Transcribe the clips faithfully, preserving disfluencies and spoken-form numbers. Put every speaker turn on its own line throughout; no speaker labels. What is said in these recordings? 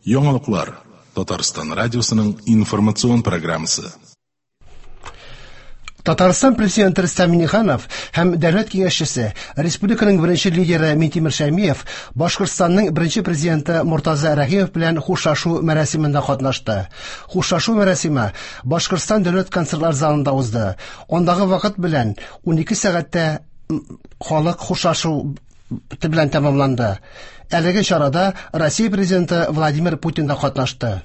Яңалыклар Татарстан радиосының информацион программасы.
Татарстан президенты Рөстәм Миңнеханов һәм дәүләт киңәшчесе, республиканың беренче лидеры Минтимер Шәймиев Башкортстанның беренче президенты Мортаза Рәхимов белән хушлашу мәрасимендә катнашты. Хушлашу мәрасиме Башкортстан дәүләт концертлар залында узды. Андагы вакыт белән унике сәгатьтә халык хушлашу белән тәмамланды. Әлеге чарада Россия президенты Владимир Путин да катнашты.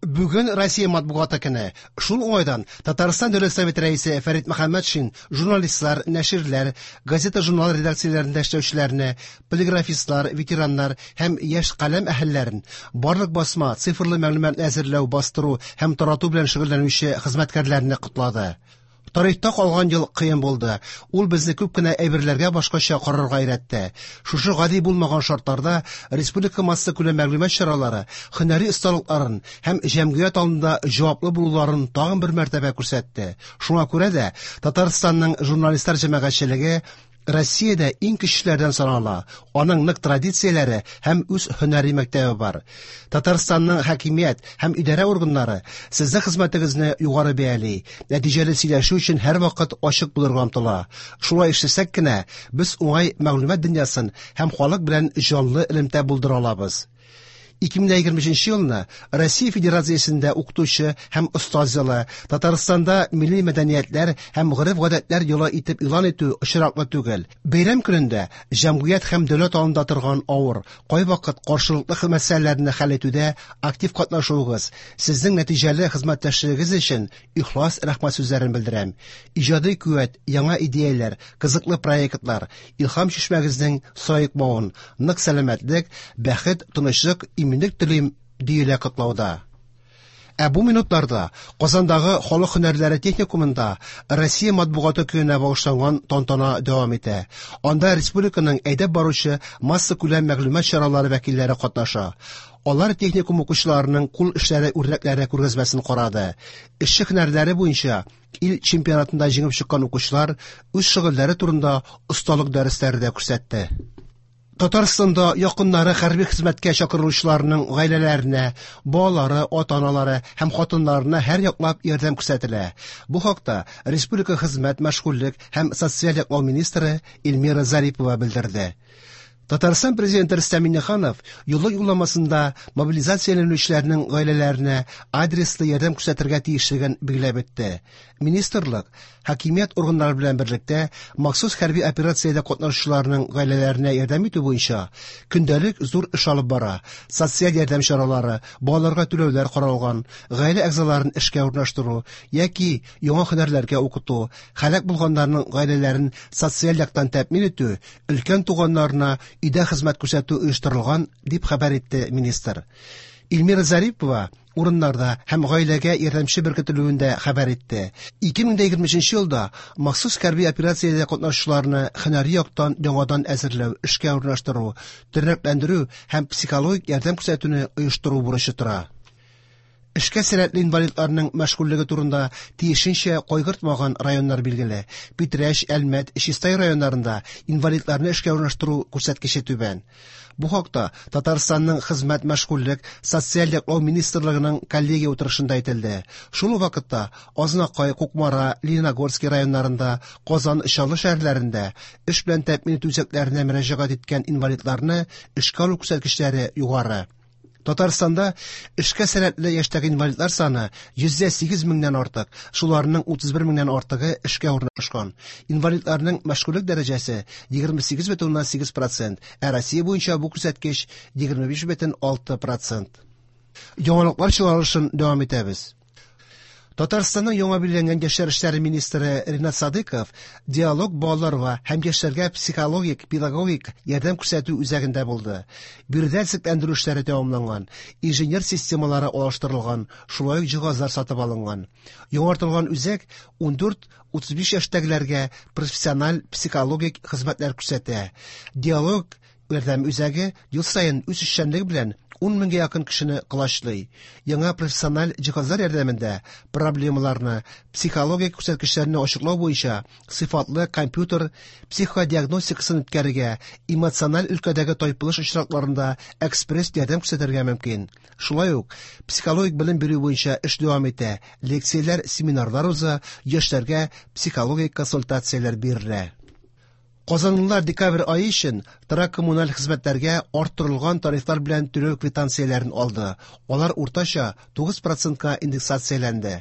Бүген Россия матбугаты көне. Шул уңайдан Татарстан Дәүләт Советы рәисе Фәрит Мөхәммәтшин журналистлар, нәширләр, газета-журнал редакцияләрендә эшләүчеләрне, полиграфистлар, ветераннар һәм яшь каләм әһелләрен, барлык басма, цифрлы мәгълүмат әзерләү, бастыру һәм тарату белән шөгыльләнүче хезмәткәрләрне котлады. Тарихта калган ел кыен булды. Ул безне күп кенә әйберләргә башкача карарга өйрәтте. Шушы гади булмаган шартларда республика массакүләм мәгълүмат чаралары һөнәри осталыкларын һәм җәмгыять алдында җаваплы булуларын тагын бер мәртәбә күрсәтте. Шуңа күрә дә Татарстанның журналистлар җәмәгатьчелеге Россиядә иң көчлеләрдән санала. Аның нык традицияләре һәм үз һөнәри мәктәбе бар. Татарстанның хакимият һәм идарә органнары сезнең хезмәтегезне югары бәяли, нәтиҗәле сөйләшү өчен һәрвакыт ачык булырга омтыла. Шулай эшләсәк кенә, без уңай мәгълүмат дөньясын һәм халык белән җанлы элемтә булдыра алабыз. ике мең егерме өченче елны Россия Федерациясендә укытучы һәм остаз елы, Татарстанда милли мәдәниятләр һәм гореф-гадәтләр елы итеп игълан итү очраклы түгел. Бәйрәм көнендә җәмгыять һәм дәүләт алдында торган авыр, кайвакыт каршылыклы мәсьәләләрне хәл итүдә актив катнашуыгыз, сезнең нәтиҗәле хезмәттәшлегегез өчен ихлас рәхмәт сүзләрен белдерәм. Иҗади куәт, яңа идеяләр, кызыклы проектлар, илһам чишмәгезнең саекмавын, нык сәламәтлек, бәхет, тынычлык, иминлек телим, диелә котлауда. Ә бу минутларда Казандагы халык һөнәрләре техникумында Россия матбугаты көненә багышланган тантана дәвам итә. Анда республиканың әйдәп баручы массакүләм мәгълүмат чаралары вәкилләре катнаша. Алар техникум укучыларының кул эшләре үрнәкләре күргәзмәсен карады. Эшче һөнәрләре буенча ил чемпионатында җиңеп чыккан укучылар үз шөгыльләре турында осталык дәресләре дә күрсәтте. Татарстанда якыннары хәрби хезмәткә чакырылучыларның гаиләләренә, балалары, ата-аналары һәм хатыннарына һәр яклап ярдәм күрсәтелә. Бу хакта Республика хезмәт, мәшгульлек һәм социаль яклау министры Эльмира Зарипова белдерде. Татарстан президенты Рөстәм Миңнеханов юллык юлламасында мобилизацияләнүчеләрнең гаиләләренә адреслы ярдәм күрсәтергә тиешлеген билгеләп үтте. Министрлык хакимият органнары белән берлектә махсус хәрби операциядә катнашучыларның гаиләләренә ярдәм итү буенча көндәлек зур эш алып бара. Социаль ярдәм чаралары, балаларга түләүләр каралган, гаилә әгъзаларын эшкә урнаштыру яки яңа һөнәрләргә укыту, һәлак булганнарның гаиләләрен социаль яктан тәэмин итү, өлкән туганнарына өйдә хезмәт күрсәтү оештырылган, дип хәбәр итте министр. Эльмира Зарипова урыннарда һәм гаиләгә ярдәмче беркетелүен дә хәбәр итте. ике мең егерме өченче елда махсус хәрби операциядә катнашучыларны һөнәри яктан яңадан әзерләү, эшкә урнаштыру, тернәкләндерү һәм психологик ярдәм күрсәтүне оештыру бурычы тора. Эшкә сәләтле инвалидларның мәшгульлеге турында тиешенчә кайгыртмаган районнар билгеле. Питрәч, Әлмәт, Чистай районнарында инвалидларны эшкә урнаштыру күрсәткече түбән. Бу хакта Татарстанның хезмәт, мәшгульлек, социаль яклау министрлыгының коллегия утырышында әйтелде. Шул ук вакытта Азнакай, Кукмара, Лениногорский районнарында, Казан, Чаллы шәһәрләрендә эш белән тәэмин итү үзәкләренә мөрәҗәгать иткән инвалидларны эшкә алу күрсәткечләре югары. Татарстанда эшкә сәләтле яшьтәге инвалидлар саны йөз сигез меңнән артык, шуларның утыз бер меңнән артыгы эшкә урнашкан. Инвалидларның мәшгульлек дәрәҗәсе егерме сигез бөтен уннан сигез процент, ә Россия буенча бу күрсәткеч егерме биш бөтен алты процент. Яңалыклар чыгарылышын дәвам итәбез. Татарстанның яңа билгеләнгән яшьләр эшләре министры Ринат Садыков диалог балаларга һәм яшьләргә психологик, педагогик ярдәм күрсәтү үзәгендә булды. Биредә төзекләндерү эшләре тәмамланган, инженер системалары алыштырылган, шулай ук җиһазлар сатып алынган. Яңартылган үзәк ундүрт утыз биш яшьтәгеләргә профессиональ психологик хезмәтләр күрсәтә. Диалог ярдәм үзәге ел саен үз эшчәнлеге белән ун меңгә якын кешене колачлый. Яңа профессиональ җиһазлар ярдәмендә проблемаларны, психологик күрсәткечләрне ачыклау буенча сыйфатлы компьютер психодиагностикасын үткәрергә, эмоциональ өлкәдәге тайпылыш очракларында экспресс ярдәм күрсәтергә мөмкин. Шулай ук психологик белем бирү буенча эш дәвам итә, лекцияләр, семинарлар уза, яшьләргә психологик консультацияләр бирелә. Казанлылар декабрь ае өчен торак коммуналь хезмәтләргә арттырылган тарифлар белән түләү квитанцияләрен алды. Алар уртача тугыз процентка индексацияләнде.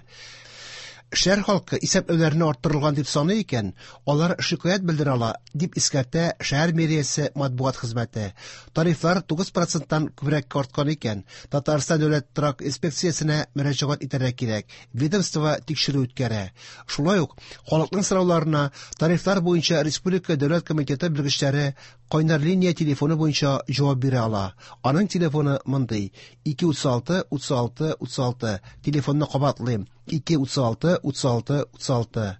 Шәһәр халкы исәпләүләрне арттырылган дип саный икән, алар шикаять белдерә ала, дип искәртә шәһәр мэриясе матбугат хезмәте. Тарифлар тугыз проценттан күбрәккә арткан икән, Татарстан дәүләт торак инспекциясенә мөрәҗәгать итәргә кирәк. Ведомство тикшерү үткәрә. Шулай ук халыкның сорауларына тарифлар буенча Республика дәүләт комитеты белгечләре кайнар линия телефоны буенча җавап бирә ала. Аның телефоны мондый: ике утыз алты утыз алты утыз алты. Телефонны кабатлыйм: ике утыз алты утыз алты утыз алты.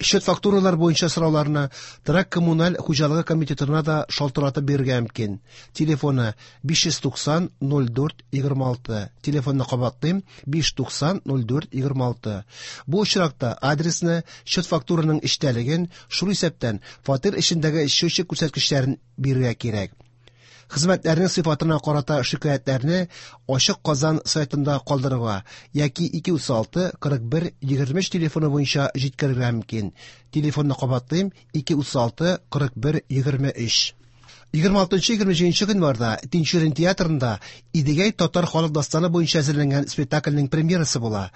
Счет фактуралар буенча сорауларны торак коммуналь хуҗалыгы комитетына да шалтыратып бирергә мөмкин. Телефоны биш йөз туксан ноль дүрт егерме алты. Телефонны кабатлыйм: биш туксан ноль дүрт егерме алты. Бу очракта адресны, счет фактураның эчтәлеген, шул исәптән фатир эчендәге счетчик күрсәткечләрен бирергә кирәк. Хезмәтләрнең сыйфатына карата шикаятьләрне Ачык Казан сайтында калдырырга яки ике утыз алты кырык бер егерме өч телефоны буенча җиткерергә мөмкин. Телефонны кабатлыйм: ике утыз алты кырык бер егерме өч. Егерме алтынчы егерме җиденче гыйнварда Тинчурин театрында Идегәй татар халык дастаны буенча әзерләнгән спектакльнең премьерасы була.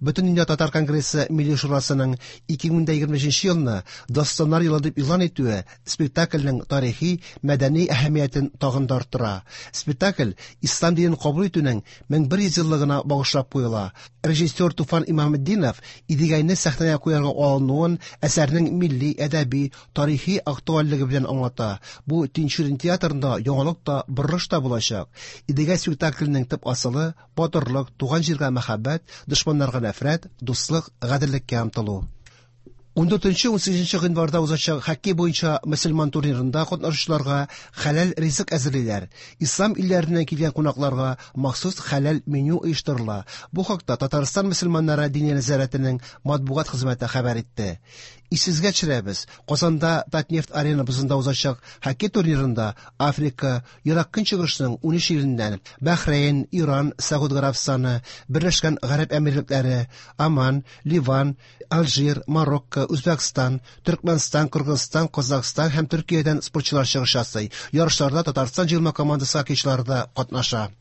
Бөтендөнья татар конгрессы Милли шурасының ике мең дә егерме өченче елны Дастаннар елы дип игълан итүе спектакльнең тарихи, мәдәни әһәмиятен тагын да арттыра. Спектакль ислам динен кабул итүнең мең бер йөз еллыгына багышлап куела. Режиссер Туфан Имаметдинов Идегәйне сәхнәгә куярга алынуын әсәрнең милли, әдәби, тарихи актуальлеге белән аңлата. Бу Тинчурин театрында яңалык та, борылыш та булачак. Идегәй спектакленең төп асылы батырлык, туган җиргә мәхәббәт, дошманнарга нәфрәт, дуслык, гаделлеккә омтылу. Ун дүртенче, ун сигезенче гыйнварда узачак хоккей буенча мөселман турнирында катнашучыларга хәләл ризык әзерлиләр. Ислам илләреннән килгән кунакларга махсус хәләл меню оештырыла. Бу хакта Татарстан мөселманнары диния нәзарәтенең матбугат хезмәте хәбәр итте. Исегезгә төшерәбез, Казанда Татнефть арена бозында узачак хоккей турнирында Африка, Ерак Көнчыгышның ун өч иленнән Бәхрәйн, Иран, Сәгуд Гарәбстаны, Берләшкән Гарәп Әмирлекләре, Оман, Ливан, Алжир, Марокко, Үзбәкстан, Төркмәнстан, Кыргызстан, Казахстан һәм Төркиядән спортчылар чыгыш ясый. Ярышларда Татарстан җыелма командасы хоккейчылары да катнаша.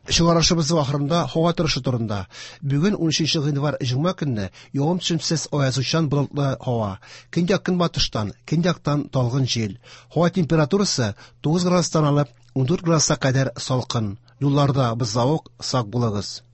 Чыгарышыбыз ахырында һава торышы турында. Бүген ун өченче гыйнвар җомга көнне явым-төшемсез аязучан болытлы һава. Көньяк көнбатыштан, көньяктан талгын җил. Һава температурасы тугыз градустан алып ун дүрт градуска кадәр салкын. Юлларда бозлавык, сак булыгыз.